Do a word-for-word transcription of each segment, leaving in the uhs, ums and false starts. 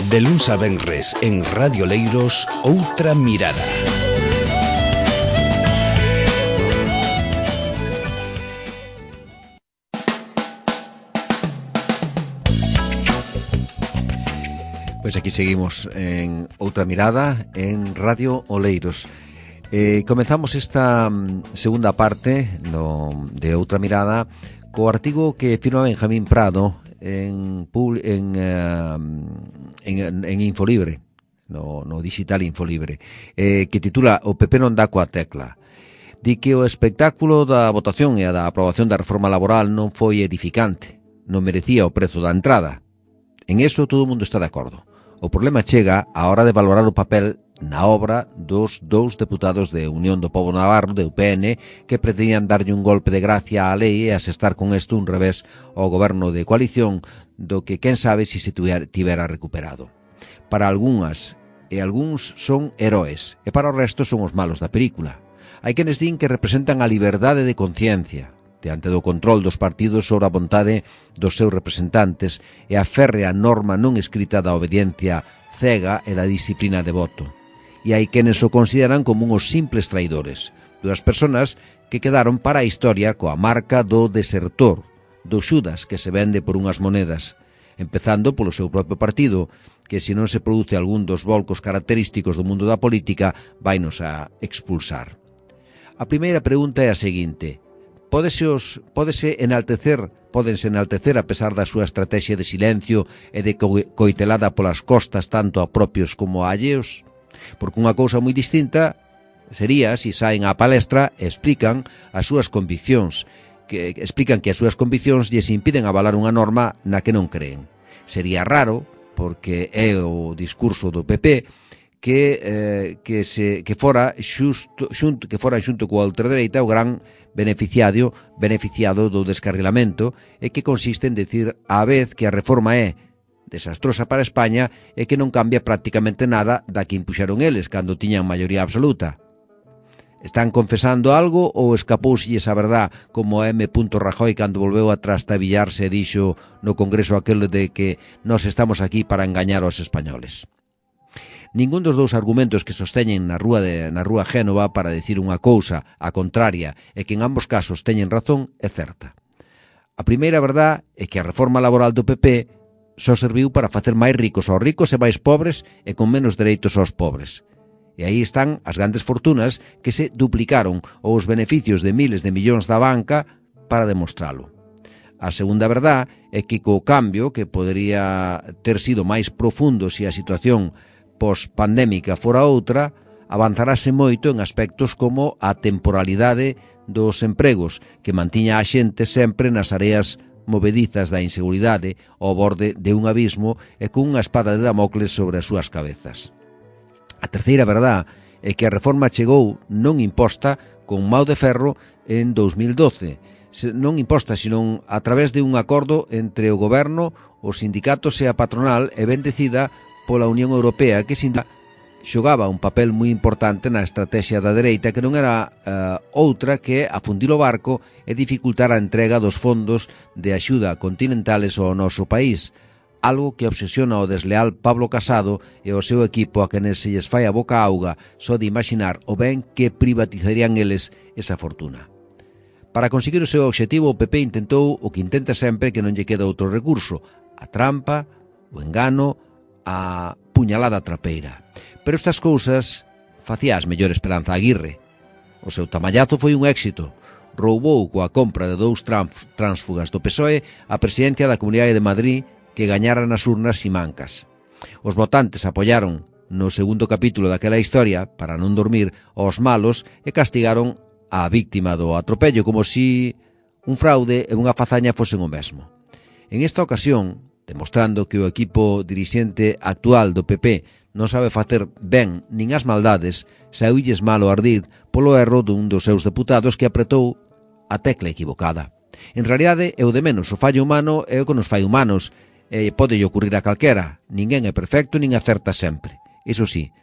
De luns a venres en Radio Leiros, Outra Mirada. Pois aquí seguimos en Outra Mirada en Radio Oleiros. Eh, comenzamos esta segunda parte no, de Outra Mirada co artigo que firma Benjamín Prado en, en, uh, en, en Infolibre, no, no digital Infolibre, eh, que titula O P P non dá coa tecla. Di que o espectáculo da votación e a da aprobación da reforma laboral non foi edificante, non merecía o prezo da entrada. En eso todo o mundo está de acordo. O problema chega á hora de valorar o papel na obra dos dous deputados de Unión do Pobo Navarro, de U P N, que pretendían darlle un golpe de gracia á lei e asestar con isto un revés ao goberno de coalición do que quen sabe se se tivera recuperado. Para algunhas e algúns son heróis e para o resto son os malos da película. Hai quenes din que representan a liberdade de conciencia diante do control dos partidos sobre a vontade dos seus representantes e a férrea norma non escrita da obediencia cega e da disciplina de voto. E hai quenes o consideran como uns simples traidores, dúas persoas que quedaron para a historia coa marca do desertor, do Xudas que se vende por unhas monedas, empezando polo seu propio partido, que se non se produce algún dos volcos característicos do mundo da política, vainos a expulsar. A primeira pregunta é a seguinte: Pódese, os, pódese enaltecer, pódense enaltecer a pesar da súa estrategia de silencio e de coitelada polas costas tanto a propios como a alleos? Porque unha cousa moi distinta sería se saen á palestra e explican as súas conviccións, que explican que as súas conviccións lles impiden avalar unha norma na que non creen. Sería raro, porque é o discurso do P P, que eh, que se que fora xusto xunto que fora xunto coa ultradereita o gran beneficiario beneficiado do descarrilamento e que consiste en decir á vez que a reforma é desastrosa para España e que non cambia prácticamente nada da que impuxeron eles cando tiñan maioría absoluta. Están confesando algo ou escapouselles a verdad como a M. Rajoy cando volveu a trastabillarse e dixo no Congreso aquel de que nós estamos aquí para engañar aos españoles? Ningún dos dous argumentos que sosteñen na rúa de na rúa Génova para decir unha cousa a contraria e que en ambos casos teñen razón é certa. A primeira verdad é que a reforma laboral do P P só serviu para facer máis ricos aos ricos e máis pobres e con menos dereitos aos pobres. E aí están as grandes fortunas que se duplicaron ou os beneficios de miles de millóns da banca para demostralo. A segunda verdad é que co cambio, que podería ter sido máis profundo se a situación post-pandémica fora outra, avanzarase moito en aspectos como a temporalidade dos empregos, que mantiña a xente sempre nas areas movedizas da inseguridade ao borde de un abismo e cunha espada de Damocles sobre as súas cabezas. A terceira verdad é que a reforma chegou non imposta con mau de ferro en dous mil doce, non imposta, senón a través de un acordo entre o goberno, os sindicatos e a patronal e ben decida pola Unión Europea, que sin xogaba un papel moi importante na estrategia da dereita, que non era uh, outra que afundir o barco e dificultar a entrega dos fondos de axuda continentales ao noso país, algo que obsesiona o desleal Pablo Casado e o seu equipo a quenes se lles fai a boca auga só de imaginar o ben que privatizarían eles esa fortuna. Para conseguir o seu obxectivo, o P P intentou o que intenta sempre, que non lle queda outro recurso: a trampa, o engano, a puñalada trapeira. Pero estas cousas facía as mellor Esperanza Aguirre. O seu tamallazo foi un éxito. Roubou coa compra de dous tránsfugas do P S O E a presidencia da Comunidade de Madrid, que gañara nas urnas simancas. Os votantes apoiaron no segundo capítulo daquela historia, para non dormir, aos malos e castigaron a víctima do atropello como si un fraude e unha fazaña fosen o mesmo. En esta ocasión, demostrando que o equipo dirixente actual do P P non sabe facer ben nin as maldades, saúlles malo ardid polo erro dun dos seus deputados que apretou a tecla equivocada. En realidade, é o de menos, o fallo humano é o que nos fai humanos, e pode ocurrir a calquera. Ninguén é perfecto nin acerta sempre. Iso sí,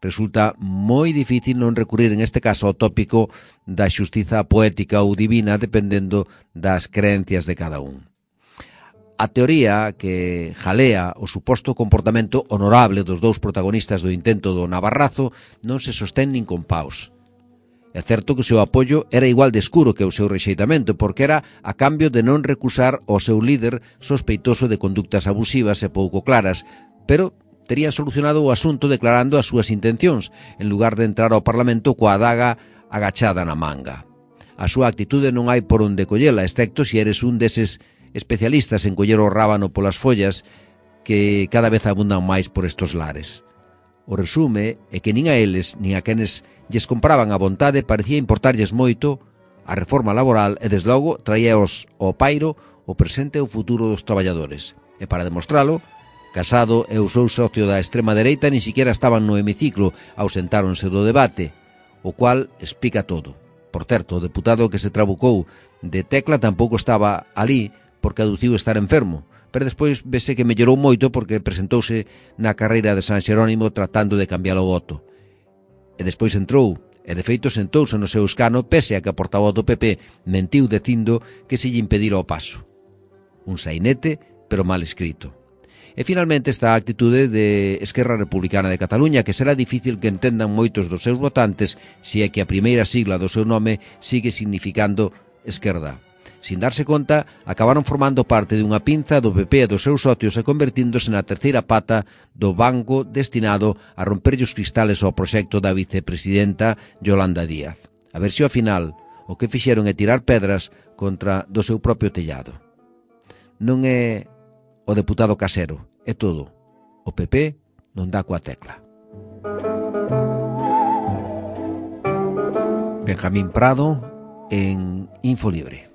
resulta moi difícil non recurrir en este caso ao tópico da xustiza poética ou divina dependendo das creencias de cada un. a teoría que jalea o suposto comportamento honorable dos dous protagonistas do intento do Navarrazo non se sostén nin con paus. É certo que o seu apoio era igual de escuro que o seu rexeitamento, porque era a cambio de non recusar o seu líder sospeitoso de conductas abusivas e pouco claras, pero terían solucionado o asunto declarando as súas intencións, en lugar de entrar ao Parlamento coa adaga agachada na manga. A súa actitude non hai por onde collela, excepto se eres un deses especialistas en coller o rábano polas follas que cada vez abundan máis por estos lares. O resume é que nin a eles, nin a quenes lles compraban a vontade parecía importarlles moito a reforma laboral e, desde logo, traíaos ao pairo o presente e o futuro dos traballadores. E para demostralo, Casado e o seu socio da extrema dereita nin siquiera estaban no hemiciclo, ausentáronse do debate, o cual explica todo. Por certo, o deputado que se trabucou de Tecla tampouco estaba ali porque aduciu estar enfermo, pero despois vese que mellorou moito porque presentouse na carreira de San Xerónimo tratando de cambiar o voto. E despois entrou, e de feito sentouse no seu escano pese a que a portavoz do P P mentiu dicindo que se lle impedira o paso. Un sainete, pero mal escrito. E finalmente está a actitude de Esquerra Republicana de Cataluña, que será difícil que entendan moitos dos seus votantes se é que a primeira sigla do seu nome sigue significando esquerda. Sin darse conta, acabaron formando parte dunha pinza do P P e dos seus socios e convertíndose na terceira pata do banco destinado a romperlle os cristales ao proxecto da vicepresidenta Yolanda Díaz. A ver se ao final o que fixeron é tirar pedras contra do seu propio tellado. Non é o deputado Casero, é todo. O P P non dá coa tecla. Benjamín Prado en Infolibre.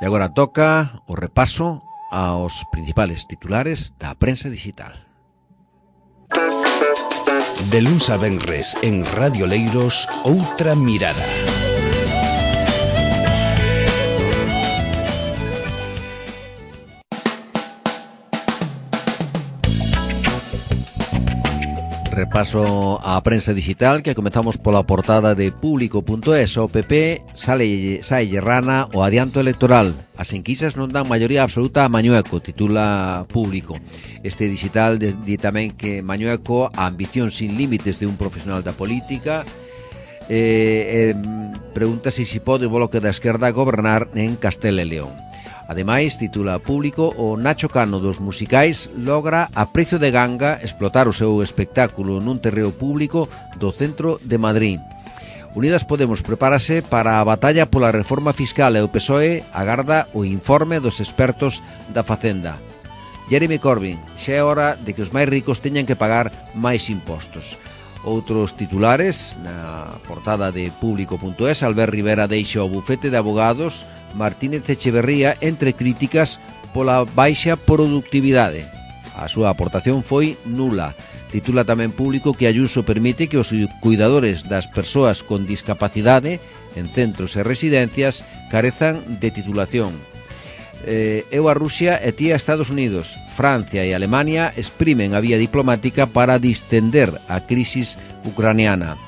E agora toca o repaso aos principales titulares da prensa digital. De luns a venres en Radio Leiros, Outra Mirada. Repaso á prensa digital, que comezamos pola portada de Público punto es. O P P sale, saelle rana o adianto electoral. As enquisas non dan maioría absoluta a Mañueco, titula Público. Este digital di tamén que Mañueco, a ambición sin límites de un profesional da política, eh, eh, pregunta se si pode o Bloque da Esquerda gobernar en Castela e León. Ademais, titula Público, o Nacho Cano dos musicais logra a precio de ganga explotar o seu espectáculo nun terreo público do centro de Madrid. Unidas Podemos prepárase para a batalla pola reforma fiscal e o P S O E agarda o informe dos expertos da Facenda. Jeremy Corbyn, xa é hora de que os máis ricos teñan que pagar máis impostos. Outros titulares na portada de Público punto es. Albert Rivera deixa o bufete de abogados. Martínez Echeverría entre críticas pola baixa productividade. A súa aportación foi nula. Titula tamén Público que Ayuso permite que os cuidadores das persoas con discapacidade en centros e residencias carezan de titulación. Eh, eu a Rusia e ti a Estados Unidos. Francia e Alemania exprimen a vía diplomática para distender a crisis ucraniana.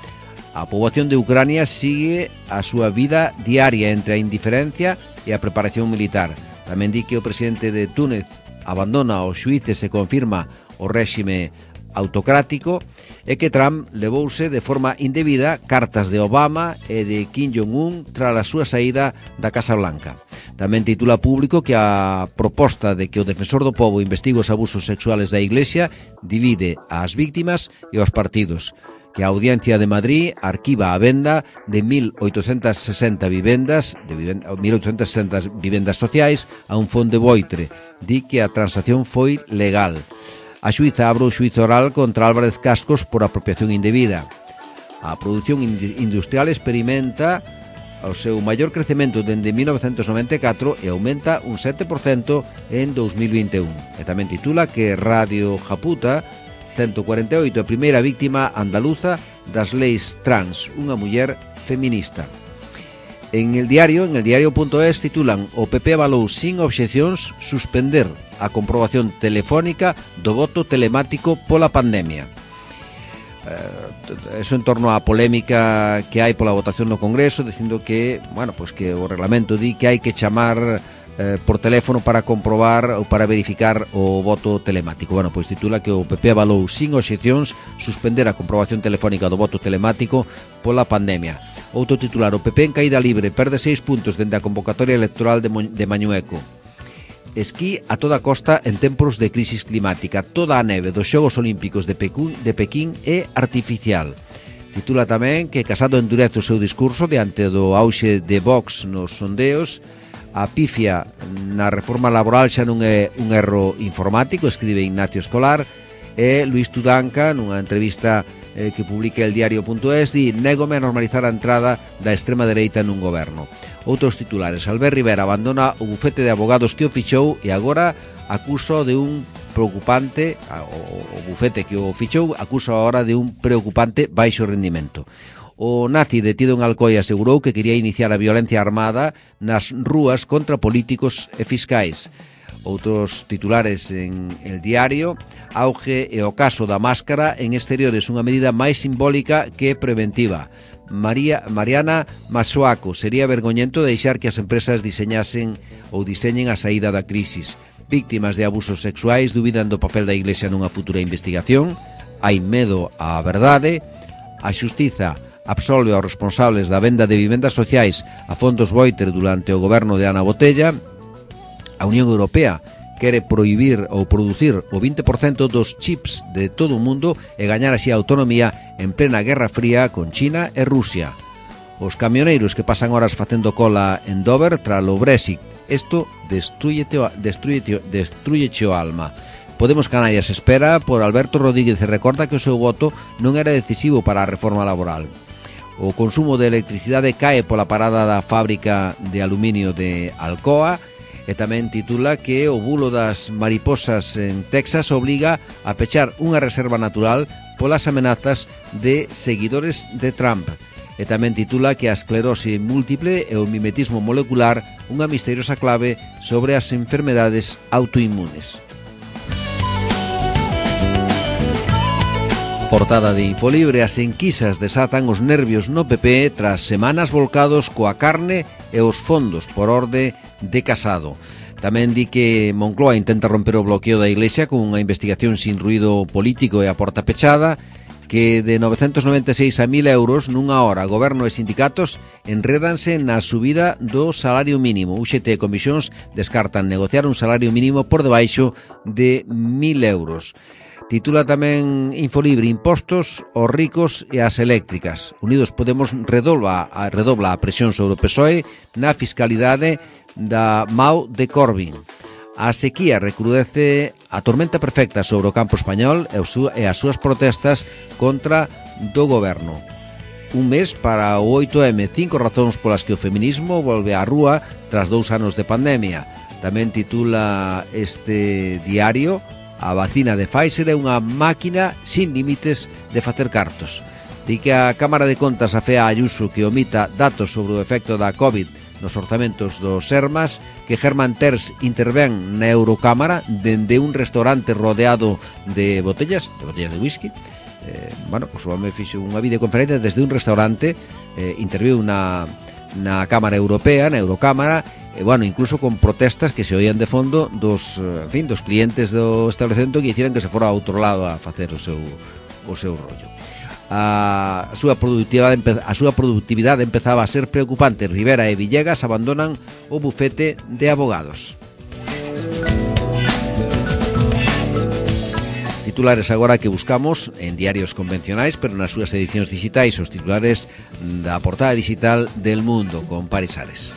A poboación de Ucrania sigue a súa vida diaria entre a indiferencia e a preparación militar. Tamén di que o presidente de Túnez abandona os xuíces e confirma o réxime autocrático e que Trump levouse de forma indebida cartas de Obama e de Kim Jong-un tras a súa saída da Casa Blanca. Tamén titula Público que a proposta de que o defensor do pobo investigue os abusos sexuales da Iglesia divide ás víctimas e aos partidos. Que a Audiencia de Madrid arquiva a venda de mil oitocentas sesenta vivendas, de vivenda, mil oitocentas sesenta vivendas sociais a un fondo de Boitre. Di que a transacción foi legal. A xuíza abre o xuízo oral contra Álvarez Cascos por apropiación indebida. A produción industrial experimenta o seu maior crecemento dende mil novecentos noventa e catro e aumenta un sete por cento en dos mil vinte e un. E tamén titula que Radio Japuta ciento cuarenta e oito, a primeira víctima andaluza das leis trans, unha muller feminista. En el diario, en el diario punto es, titulan o P P avalou sin obxeccións suspender a comprobación telefónica do voto telemático pola pandemia. eh, eso en torno á polémica que hai pola votación no Congreso, dicindo que, bueno, pues que o reglamento di que hai que chamar eh, por teléfono para comprobar ou para verificar o voto telemático. Bueno, pois titula que o P P avalou sin obxeccións suspender a comprobación telefónica do voto telemático pola pandemia. Outro titular, o P P en caída libre, perde seis puntos dende a convocatoria electoral de, Mo de Mañueco. Esquí a toda costa en tempos de crisis climática. Toda a neve dos Xogos Olímpicos de Pekín, de Pekín é artificial. Titula tamén que Casado endurece o seu discurso diante do auxe de Vox nos sondeos. A pifia na reforma laboral xa non é un erro informático, escribe Ignacio Escolar. E Luis Tudanca, nunha entrevista eh, que publica el diario punto es, di: négome a normalizar a entrada da extrema dereita nun goberno. Outros titulares, Albert Rivera abandona o bufete de abogados que o fichou e agora acusa de un preocupante, o, o bufete que o fichou acusa agora de un preocupante baixo rendimento. O nazi detido en Alcoy asegurou que quería iniciar a violencia armada nas rúas contra políticos e fiscais. Outros titulares en El Diario, auge e o caso da máscara en exteriores, unha medida máis simbólica que preventiva. María, Mariana Masuaco, sería vergoñento deixar que as empresas diseñasen ou diseñen a saída da crisis. Víctimas de abusos sexuais dubidan do papel da Iglesia nunha futura investigación. Hai medo á verdade. A xustiza absolve aos responsables da venda de vivendas sociais a fondos Boiter durante o goberno de Ana Botella. A Unión Europea quere prohibir ou producir o vinte por cento dos chips de todo o mundo e gañar así a autonomía en plena Guerra Fría con China e Rusia. Os camioneiros que pasan horas facendo cola en Dover tras o Brexit, isto destrúyete o, destrúyete, destrúyete o alma. Podemos Canarias espera por Alberto Rodríguez e recorda que o seu voto non era decisivo para a reforma laboral. O consumo de electricidade cae pola parada da fábrica de aluminio de Alcoa. E tamén titula que o bulo das mariposas en Texas obliga a pechar unha reserva natural polas amenazas de seguidores de Trump. E tamén titula que a esclerose múltiple e o mimetismo molecular, unha misteriosa clave sobre as enfermedades autoinmunes. Portada de Infolibre, as enquisas desatan os nervios no P P tras semanas volcados coa carne e os fondos por orde de Casado. Tamén di que Moncloa intenta romper o bloqueo da Iglesia con unha investigación sin ruído político e a porta pechada, que de novecentos noventa e seis a mil euros nunha hora goberno e sindicatos enredanse na subida do salario mínimo. U X T e Comisións descartan negociar un salario mínimo por debaixo de mil euros. Titula tamén Infolibre, impostos aos ricos e ás eléctricas. Unidos Podemos redobla a, redobla a presión sobre o P S O E na fiscalidade da M A U de Corbyn. A sequía recrudece a tormenta perfecta sobre o campo español e as súas protestas contra do goberno. Un mes para o oito eme, cinco razóns polas que o feminismo volve á rúa tras dous anos de pandemia. Tamén titula este diario: a vacina de Pfizer é unha máquina sin límites de facer cartos. Di que a Cámara de Contas afea a Ayuso que omita datos sobre o efecto da COVID nos orzamentos dos Sermas, que Germán Terz intervén na Eurocámara dende un restaurante rodeado de botellas, de botellas de whisky. Eh, bueno, pues o home fixo unha videoconferencia desde un restaurante, eh, interviu na, na Cámara Europea, na Eurocámara, e, bueno, incluso con protestas que se oían de fondo dos, en fin, dos clientes do establecemento que hicieran que se fora a outro lado a facer o seu, o seu rollo. A súa productividade a súa productividade empezaba a ser preocupante. Rivera e Villegas abandonan o bufete de abogados. Titulares agora que buscamos en diarios convencionais, pero nas súas edicións digitais, os titulares da portada digital del Mundo con Paris Ares.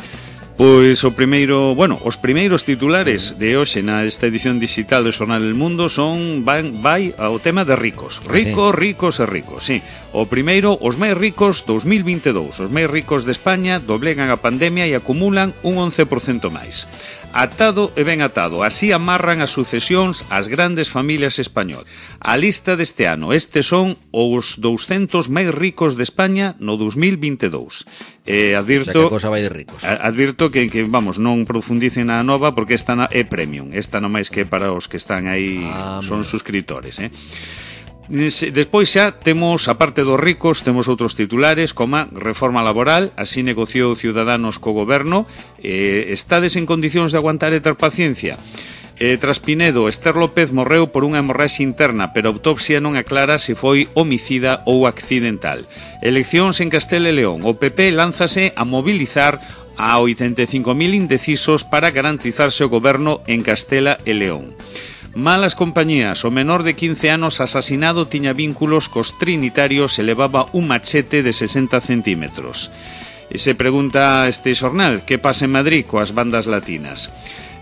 Pois o primeiro, bueno, os primeiros titulares de hoxe na esta edición digital do Xornal El Mundo son van, vai ao tema de ricos. Ricos, sí. ricos e ricos, sí. O primeiro, os máis ricos dos mil vinte e dous. Os máis ricos de España doblegan a pandemia e acumulan un once por cento máis. Atado e ben atado, así amarran as sucesións as grandes familias españolas. A lista deste ano, estes son os douscentos máis ricos de España no dos mil vinte e dous. Eh, advirto, o sea, que cosa vai de ricos. Advirto que, que, vamos, non profundicen na nova porque esta é premium. Esta non máis que para os que están aí, ah, son suscriptores, eh? Despois xa temos, a parte dos ricos, temos outros titulares, como reforma laboral, así negociou Ciudadanos co goberno. eh, Estades en condicións de aguantar e ter paciencia? Eh, tras Pinedo, Esther López morreu por unha hemorraxe interna, pero a autopsia non aclara se foi homicida ou accidental. Eleccións en Castela e León. O P P lánzase a mobilizar a oitenta e cinco mil indecisos para garantizarse o goberno en Castela e León. Malas compañías. O menor de quince anos asasinado tiña vínculos cos trinitarios e levaba un machete de sesenta centímetros. E se pregunta este xornal, que pasa en Madrid coas bandas latinas?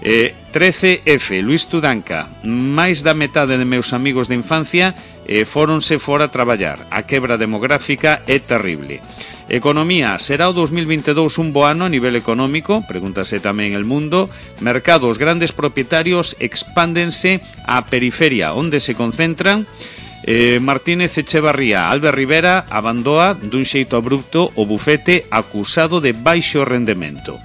Eh, trece F, Luis Tudanca. Máis da metade de meus amigos de infancia eh, fóronse fora a traballar. A quebra demográfica é terrible. Economía. Será o dos mil vinte e dous un bo ano a nivel económico? Pregúntase tamén El Mundo. Mercados. Grandes propietarios expándense á periferia, onde se concentran. Eh, Martínez Echevarría. Albert Rivera abandoa dun xeito abrupto o bufete acusado de baixo rendemento.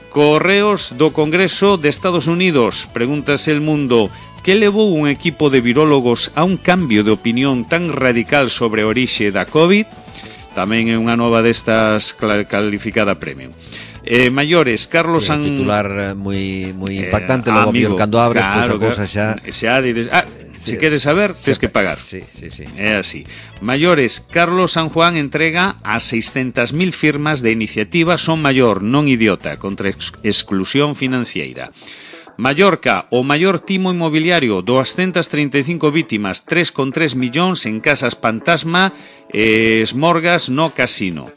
Correos do Congreso de Estados Unidos. Pregúntase El Mundo. Que levou un equipo de virólogos a un cambio de opinión tan radical sobre a orixe da COVID? Tamén é unha nova destas calificada premium. Eh, maiores, Carlos San... titular moi moi impactante, eh, logo amigo, cando abres, claro, pois a cousa xa... xa dices, ah, se si queres saber, tens que pagar. Sí, sí, sí. É así. Maiores, Carlos San Juan entrega a seiscentas mil firmas de iniciativa Son Maior, non idiota, contra ex exclusión financiera. Mallorca, o maior timo inmobiliario, doscientas treinta e cinco vítimas, tres coma tres millóns en casas fantasma e esmorgas no casino.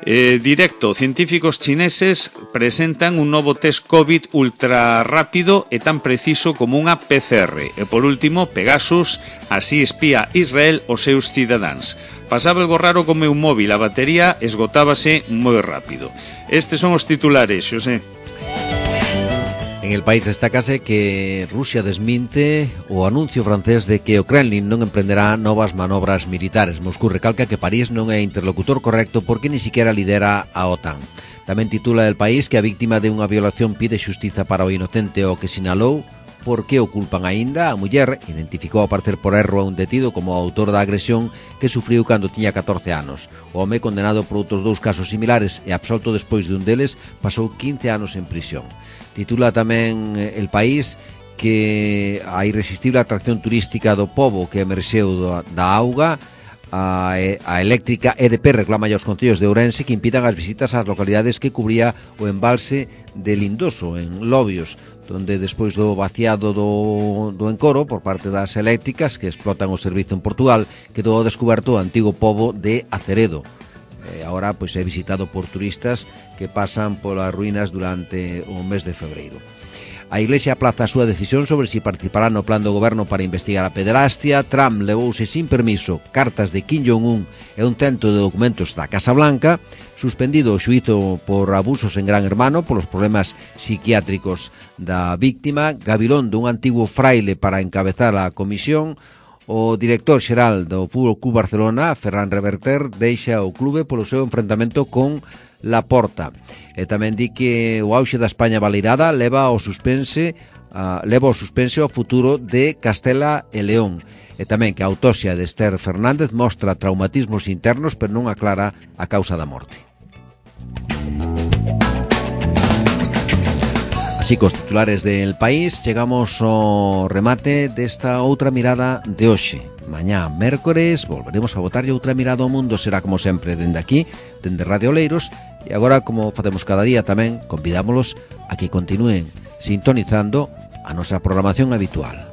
Eh, directo, científicos chineses presentan un novo test COVID ultra rápido e tan preciso como unha P C R. E por último, Pegasus, así espía Israel os seus cidadáns. Pasaba algo raro con meu móvil, a batería esgotábase moi rápido. Estes son os titulares, Xosé. En El País destácase que Rusia desminte o anuncio francés de que o Kremlin non emprenderá novas manobras militares. Moscú recalca que París non é interlocutor correcto porque ni siquiera lidera a OTAN. Tamén titula El País que a víctima de unha violación pide xustiza para o inocente o que sinalou porque o culpan aínda. A muller identificou a parecer por erro a un detido como o autor da agresión que sufriu cando tiña catorce anos. O home condenado por outros dous casos similares e absolto despois de un deles pasou quince anos en prisión. Titula tamén El País que a irresistible atracción turística do pobo que emerxeu da auga, a, a eléctrica E D P reclama aos concellos de Ourense que impidan as visitas ás localidades que cubría o embalse de Lindoso, en Lobios, donde despois do vaciado do, do encoro por parte das eléctricas que explotan o servizo en Portugal, quedou descoberto o antigo pobo de Aceredo. Eh, agora pois é visitado por turistas que pasan polas ruínas durante o mes de febreiro. A Iglesia aplaza a súa decisión sobre si participará no plan do goberno para investigar a pederastia. Trump levouse sin permiso cartas de Kim Jong-un e un cento de documentos da Casa Blanca. Suspendido o xuízo por abusos en Gran Hermano polos problemas psiquiátricos da víctima. Gabilón dun antigo fraile para encabezar a comisión. O director xeral do Fútbol Club Barcelona, Ferran Reverter, deixa o clube polo seu enfrentamento con Laporta. E tamén di que o auxe da España baleirada leva ao suspense, uh, leva ao suspense ao futuro de Castela e León. E tamén que a autopsia de Esther Fernández mostra traumatismos internos, pero non aclara a causa da morte. Así cos titulares del País chegamos ao remate desta outra mirada de hoxe. Mañá, mércores, volveremos a botarlle outra mirada ao mundo. Será como sempre dende aquí, dende Radio Oleiros. E agora, como facemos cada día tamén, convidámolos a que continúen sintonizando a nosa programación habitual.